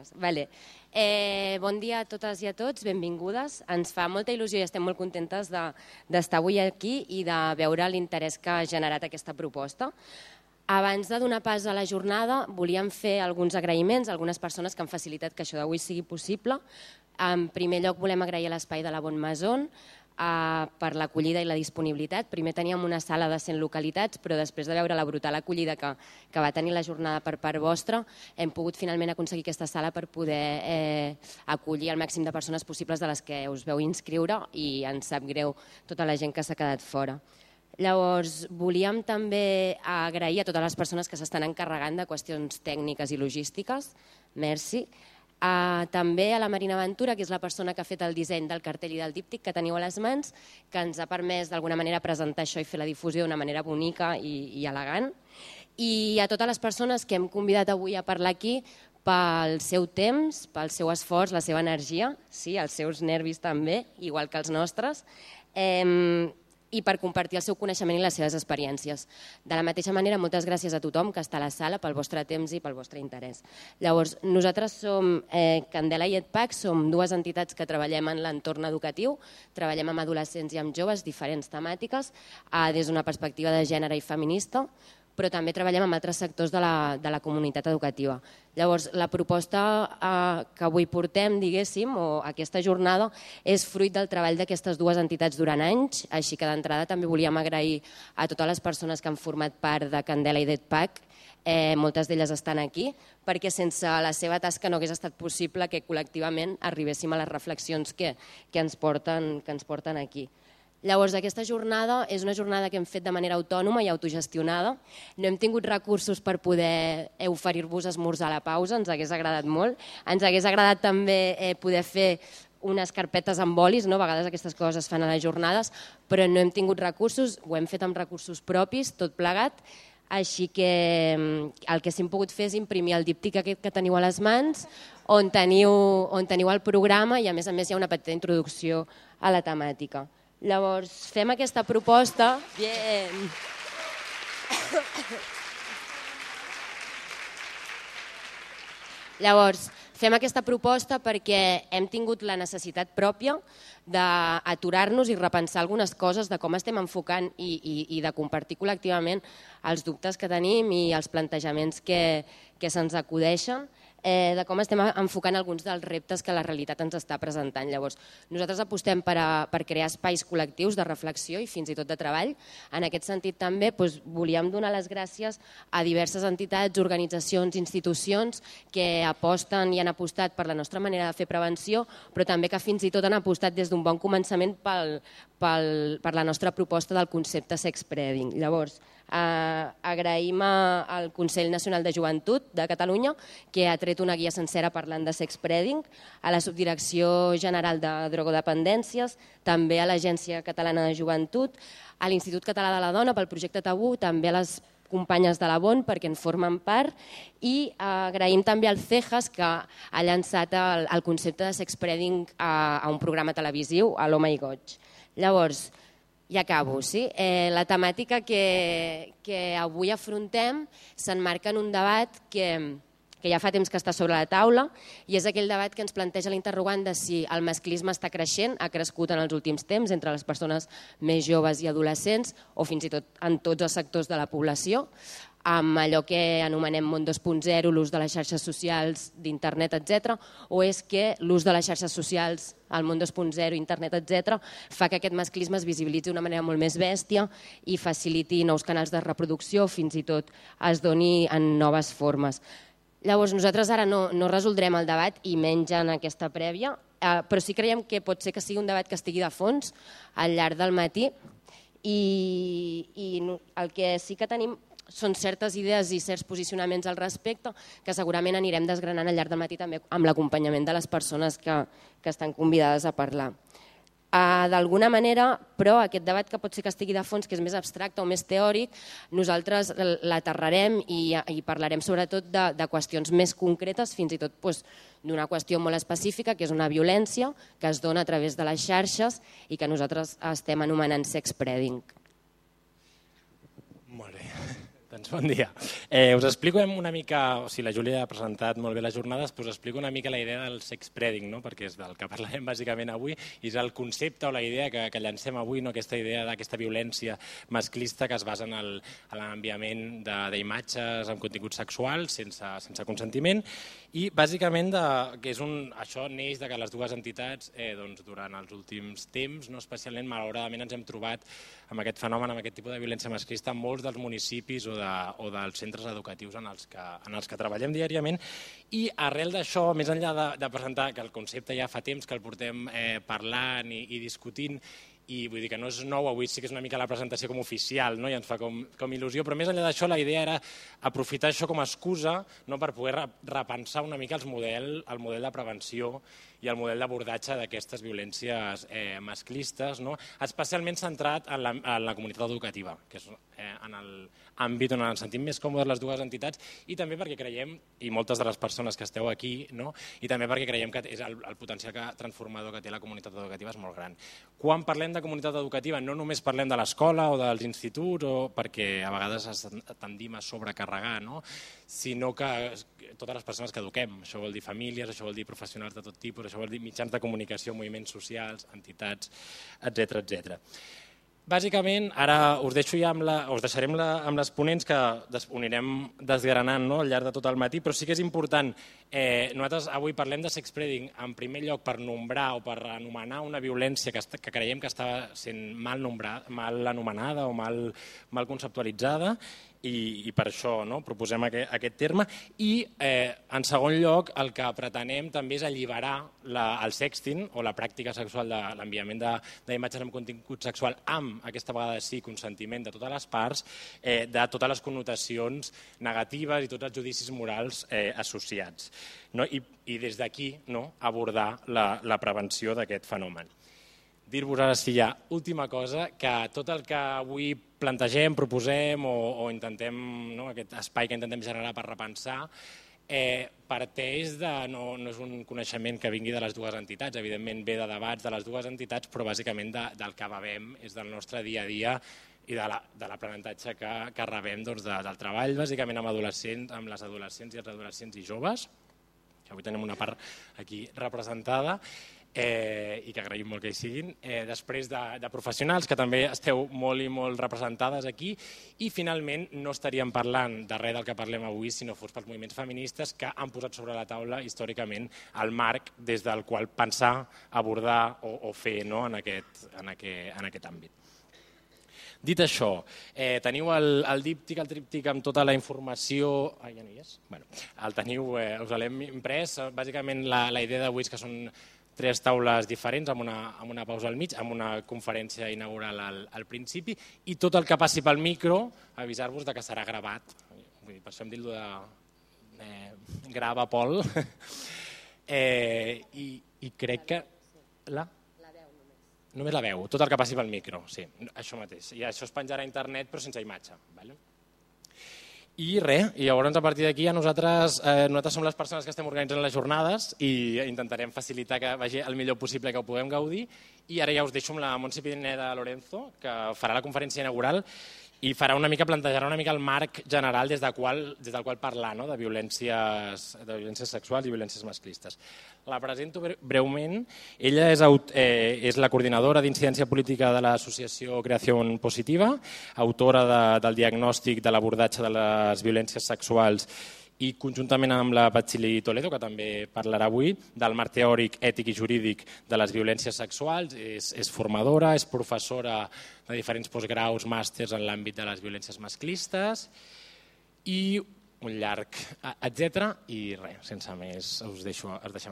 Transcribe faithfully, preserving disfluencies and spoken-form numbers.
Vamos, vale. Eh, bon dia a totes i a tots, benvingudes. Ens fa molta il·lusió i estem molt contentes d'estar avui aquí i de veure l'interès que ha generat aquesta proposta. Abans de donar pas a la jornada, volíem fer alguns agraïments a algunes persones que han facilitat que això d'avui sigui possible. En primer lloc, volem agrair a l'Espai de la Bonne Maison per l'acollida i la disponibilitat. Primer teníem una sala de cent localitats, però després de veure la brutal acollida que, que va tenir la jornada per part vostra, hem pogut finalment aconseguir aquesta sala per poder eh, acollir el màxim de persones possibles de les que us veu inscriure i ens sap greu tota la gent que s'ha quedat fora. Llavors, volíem també agrair a totes les persones que s'estan encarregant de qüestions tècniques i logístiques. Merci. Uh, també a la Marina Ventura, que és la persona que ha fet el disseny del cartell i del díptic que teniu a les mans, que ens ha permès d'alguna manera presentar això i fer la difusió d'una manera bonica i, i elegant. I a totes les persones que hem convidat avui a parlar aquí pel seu temps, pel seu esforç, la seva energia, sí, els seus nervis també, igual que els nostres, eh, i per compartir el seu coneixement i les seves experiències. De la mateixa manera, moltes gràcies a tothom que està a la sala pel vostre temps i pel vostre interès. Llavors, nosaltres som eh, Candela i EdPAC, som dues entitats que treballem en l'entorn educatiu, treballem amb adolescents i amb joves, diferents temàtiques, eh, des d'una perspectiva de gènere i feminista, però també treballem amb altres sectors de la, de la comunitat educativa. Llavors, la proposta eh, que avui portem, diguéssim, o aquesta jornada, és fruit del treball d'aquestes dues entitats durant anys, així que d'entrada també volíem agrair a totes les persones que han format part de Candela i d'EdPAC, eh, moltes d'elles estan aquí, perquè sense la seva tasca no hagués estat possible que col·lectivament arribéssim a les reflexions que, que, ens porten, que ens porten aquí. Llavors, aquesta jornada és una jornada que hem fet de manera autònoma i autogestionada. No hem tingut recursos per poder oferir-vos esmorzar a la pausa, ens hagués agradat molt. Ens hagués agradat també eh, poder fer unes carpetes amb bolis, no? A vegades aquestes coses es fan a les jornades, però no hem tingut recursos, ho hem fet amb recursos propis, tot plegat, així que el que sí hem pogut fer és imprimir el díptic aquest que teniu a les mans, on teniu, on teniu el programa i a més a més hi ha una petita introducció a la temàtica. Llavors, fem aquesta proposta. Bien. Llavors, fem aquesta proposta perquè hem tingut la necessitat pròpia d'aturar-nos i repensar algunes coses de com estem enfocant i, i, i de compartir col·lectivament els dubtes que tenim i els plantejaments que, que se'ns acudeixen, eh, de com estem enfocant alguns dels reptes que la realitat ens està presentant. Llavors, nosaltres apostem per, a, per crear espais col·lectius de reflexió i fins i tot de treball. En aquest sentit també doncs, volíem donar les gràcies a diverses entitats, organitzacions, institucions que aposten i han apostat per la nostra manera de fer prevenció, però també que fins i tot han apostat des d'un bon començament pel, pel, per la nostra proposta del concepte sexpreading. Llavors, eh, agraïm al Consell Nacional de Joventut de Catalunya que ha tret una guia sencera parlant de sexpreading, a la Subdirecció General de Drogodependències, també a l'Agència Catalana de Joventut, a l'Institut Català de la Dona pel projecte Tabú, també a les companyes de la Bon perquè en formen part i agraïm també al CEJAS que ha llançat el, el concepte de sexpreading a, a un programa televisiu, a l'Home i Goig. Llavors, ja acabo, sí? Eh, la temàtica que, que avui afrontem s'emmarca en un debat que, que ja fa temps que està sobre la taula i és aquell debat que ens planteja l'interrogant de si el masclisme està creixent, ha crescut en els últims temps entre les persones més joves i adolescents o fins i tot en tots els sectors de la població, amb allò que anomenem món dos punt zero, l'ús de les xarxes socials, d'internet, etcètera, o és que l'ús de les xarxes socials, el món dos punt zero, internet, etcètera, fa que aquest masclisme es visibilitzi d'una manera molt més bèstia i faciliti nous canals de reproducció, fins i tot es doni en noves formes. Llavors, nosaltres ara no, no resoldrem el debat i menys en aquesta prèvia, eh, però sí creiem que pot ser que sigui un debat que estigui de fons al llarg del matí i, i el que sí que tenim són certes idees i certs posicionaments al respecte que segurament anirem desgranant al llarg del matí també amb l'acompanyament de les persones que, que estan convidades a parlar. Uh, D'alguna manera, però, aquest debat que pot ser que estigui de fons, que és més abstracte o més teòric, nosaltres l'aterrarem i, i parlarem sobretot de, de qüestions més concretes, fins i tot doncs, d'una qüestió molt específica, que és una violència que es dona a través de les xarxes i que nosaltres estem anomenant sexpreading. Molt bé. Doncs bon dia. Eh, us explico una mica, o sigui, la Júlia ha presentat molt bé les jornades, però us explico una mica la idea del sexspreading, no? Perquè és del que parlarem bàsicament avui, i és el concepte o la idea que, que llancem avui, no? Aquesta idea d'aquesta violència masclista que es basa en el, en l'enviament d'imatges amb contingut sexual sense, sense consentiment, i bàsicament de, que és un, això neix de que les dues entitats eh, doncs, durant els últims temps, no? Especialment malauradament ens hem trobat amb aquest fenomen, amb aquest tipus de violència masclista en molts dels municipis o, de, o dels centres educatius en els, que, en els que treballem diàriament, i arrel d'això, més enllà de, de presentar que el concepte ja fa temps que el portem eh, parlant i, i discutint, i vull dir que no és nou, avui sí que és una mica la presentació com oficial, no? I ens fa com, com il·lusió, però més enllà d'això la idea era aprofitar això com a excusa, no? Per poder repensar una mica els model, el model de prevenció i el model d'abordatge d'aquestes violències eh, masclistes, no? Especialment centrat en la, en la comunitat educativa, que és eh, en l'àmbit on ens sentim més còmodes les dues entitats, i també perquè creiem, i moltes de les persones que esteu aquí, no? I també perquè creiem que és el, el potencial que, transformador que té la comunitat educativa és molt gran. Quan parlem de comunitat educativa no només parlem de l'escola o dels instituts, o perquè a vegades tendim a sobrecarregar, no? Sinó que totes les persones que eduquem, això vol dir famílies, això vol dir professionals de tot tipus, això vol dir mitjans de comunicació, moviments socials, entitats, etcètera, etcètera. Bàsicament, ara us deixo ja amb la, us deixarem la, amb les ponents que des, ho anirem desgranant, no? Al llarg de tot el matí, però sí que és important, eh, nosaltres avui parlem de sexspreading en primer lloc per nombrar o per anomenar una violència que, que creiem que està sent mal, nombrada, mal anomenada o mal, mal conceptualitzada, i, i per això no? Proposem aquest, aquest terme, i eh, en segon lloc el que pretenem també és alliberar la, el sexting o la pràctica sexual de l'enviament d'imatges amb contingut sexual amb, aquesta vegada sí, consentiment de totes les parts, eh, de totes les connotacions negatives i tots els judicis morals eh, associats. No? I, i des d'aquí no? Abordar la, la prevenció d'aquest fenomen. Dir-vos ara sí ja, última cosa, que tot el que avui plantegem, proposem o, o intentem, no, aquest espai que intentem generar per repensar, eh, parteix de, no, no és un coneixement que vingui de les dues entitats, evidentment ve de debats de les dues entitats, però bàsicament de, del que bevem és del nostre dia a dia i de l'aprenentatge que, que rebem doncs, de, del treball, bàsicament amb, adolescents, amb les adolescents i els adolescents i joves, que avui tenim una part aquí representada, Eh, i que agraïm molt que hi siguin, eh, després de, de professionals que també esteu molt i molt representades aquí, i finalment no estaríem parlant de res del que parlem avui si no fos pels moviments feministes que han posat sobre la taula històricament el marc des del qual pensar, abordar o, o fer no? en, aquest, en, aquest, en aquest àmbit. Dit això, eh, teniu el, el díptic, el tríptic amb tota la informació... Ah, ja no hi és? Bueno, el teniu, eh, us l'hem imprès. Bàsicament la, la idea d'avui és que són tres taules diferents amb una, amb una pausa al mig, amb una conferència inaugural al, al principi, i tot el que passi pel micro, avisar-vos de que serà gravat. Vull dir, per això em dit-lo de eh, grava, Pol. eh, i, I crec que... La? La veu només. Només la veu, tot el que passi pel micro, sí, això mateix. I això es penjarà a internet però sense imatge. Vale? I res, i llavors a partir d'aquí nosaltres, eh, nosaltres som les persones que estem organitzant les jornades i intentarem facilitar que vagi el millor possible que ho puguem gaudir, i ara ja us deixo amb la Montse Pineda Lorenzo, que farà la conferència inaugural i farà una mica, plantejarà una mica el marc general des, de qual, des del qual parlar no? de, violències, de violències sexuals i violències masclistes. La presento breument. Ella és, eh, és la coordinadora d'incidència política de l'associació Creació Positiva, autora de, del diagnòstic de l'abordatge de les violències sexuals i conjuntament amb la Patxili Toledo, que també parlarà avui, del marc teòric, ètic i jurídic de les violències sexuals. És, és formadora, és professora de diferents postgraus, màsters en l'àmbit de les violències masclistes i un llarg, etcètera. I res, sense més, us deixo, us deixem